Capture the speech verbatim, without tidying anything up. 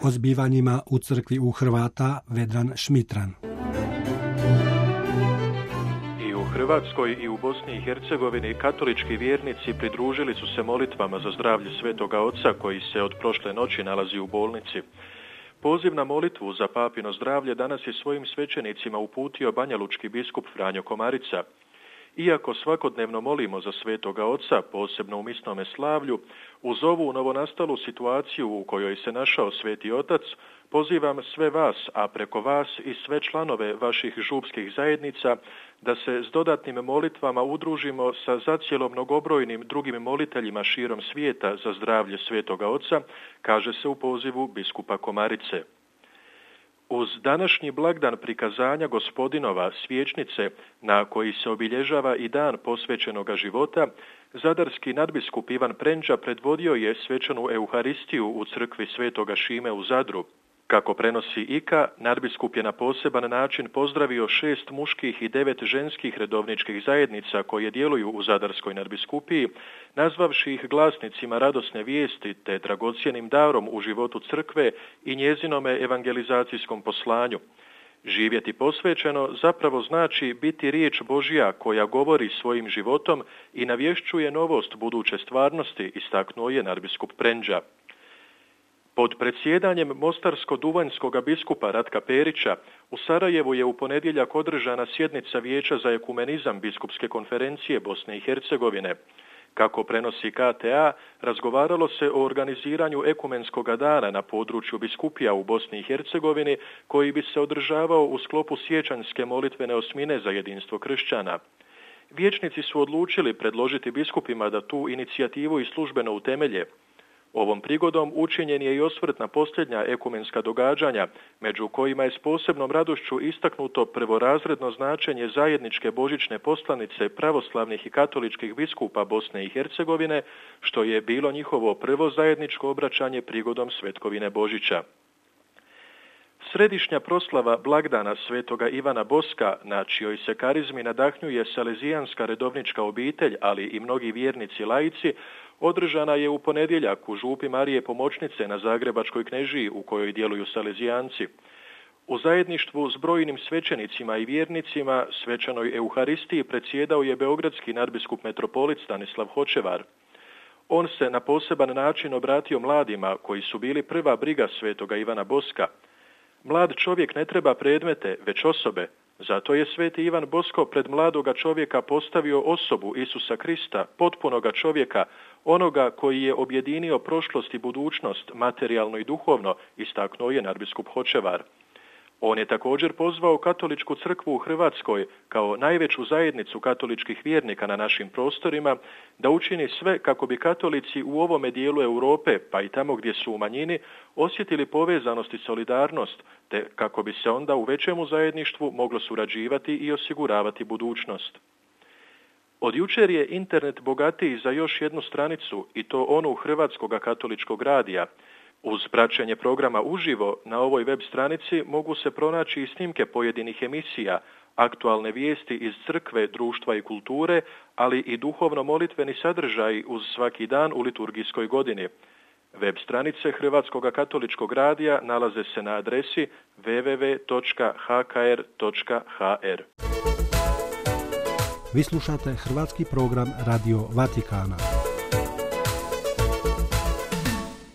o zbivanjima u crkvi u Hrvata Vedran Šmitran. I u Hrvatskoj i u Bosni i Hercegovini katolički vjernici pridružili su se molitvama za zdravlje Svetoga Oca koji se od prošle noći nalazi u bolnici. Poziv na molitvu za papino zdravlje danas je svojim svećenicima uputio banjalučki biskup Franjo Komarica. Iako svakodnevno molimo za Svetoga Oca, posebno u misnome slavlju, uz ovu novonastalu situaciju u kojoj se našao Sveti Otac, pozivam sve vas, a preko vas i sve članove vaših župskih zajednica, da se s dodatnim molitvama udružimo sa zacijelo mnogobrojnim drugim moliteljima širom svijeta za zdravlje Svetoga Oca, kaže se u pozivu biskupa Komarice. Uz današnji blagdan prikazanja Gospodinova svječnice, na koji se obilježava i dan posvećenoga života, zadarski nadbiskup Ivan Prenđa predvodio je svečanu Euharistiju u crkvi Svetoga Šime u Zadru. Kako prenosi I K A, nadbiskup je na poseban način pozdravio šest muških i devet ženskih redovničkih zajednica koje djeluju u Zadarskoj nadbiskupiji, nazvavši ih glasnicima radosne vijesti te dragocjenim darom u životu crkve i njezinome evangelizacijskom poslanju. Živjeti posvećeno zapravo znači biti riječ Božja koja govori svojim životom i navješćuje novost buduće stvarnosti, istaknuo je nadbiskup Prenđa. Pod predsjedanjem mostarsko-duvanjskoga biskupa Ratka Perića u Sarajevu je u ponedjeljak održana sjednica Vijeća za ekumenizam Biskupske konferencije Bosne i Hercegovine. Kako prenosi K T A, razgovaralo se o organiziranju ekumenskoga dana na području biskupija u Bosni i Hercegovini, koji bi se održavao u sklopu sjećanjske molitvene osmine za jedinstvo kršćana. Vijećnici su odlučili predložiti biskupima da tu inicijativu i službeno utemelje. Ovom prigodom učinjen je i osvrt na posljednja ekumenska događanja, među kojima je s posebnom radošću istaknuto prvorazredno značenje zajedničke božićne poslanice pravoslavnih i katoličkih biskupa Bosne i Hercegovine, što je bilo njihovo prvo zajedničko obraćanje prigodom Svetkovine Božića. Središnja proslava blagdana Svetoga Ivana Boska, na čijoj se karizmi nadahnjuje salezijanska redovnička obitelj, ali i mnogi vjernici laici, održana je u ponedjeljak u župi Marije Pomoćnice na Zagrebačkoj Knežiji u kojoj djeluju salezijanci. U zajedništvu s brojnim svećenicima i vjernicima svečanoj Euharistiji predsjedao je beogradski nadbiskup metropolit Stanislav Hočevar. On se na poseban način obratio mladima koji su bili prva briga Svetoga Ivana Boska. Mlad čovjek ne treba predmete, već osobe. Zato je sveti Ivan Bosko pred mladoga čovjeka postavio osobu Isusa Krista, potpunoga čovjeka, onoga koji je objedinio prošlost i budućnost, materijalno i duhovno, istaknuo je nadbiskup Hočevar. On je također pozvao katoličku crkvu u Hrvatskoj, kao najveću zajednicu katoličkih vjernika na našim prostorima, da učini sve kako bi katolici u ovome dijelu Europe, pa i tamo gdje su u manjini, osjetili povezanost i solidarnost, te kako bi se onda u većemu zajedništvu moglo surađivati i osiguravati budućnost. Od jučer je internet bogatiji za još jednu stranicu, i to onu Hrvatskoga katoličkog radija. Uz praćenje programa uživo na ovoj web stranici mogu se pronaći i snimke pojedinih emisija, aktualne vijesti iz crkve, društva i kulture, ali i duhovno-molitveni sadržaji uz svaki dan u liturgijskoj godini. Web stranice Hrvatskoga katoličkog radija nalaze se na adresi w w w točka h k r točka h r. Vi slušate hrvatski program Radio Vatikana.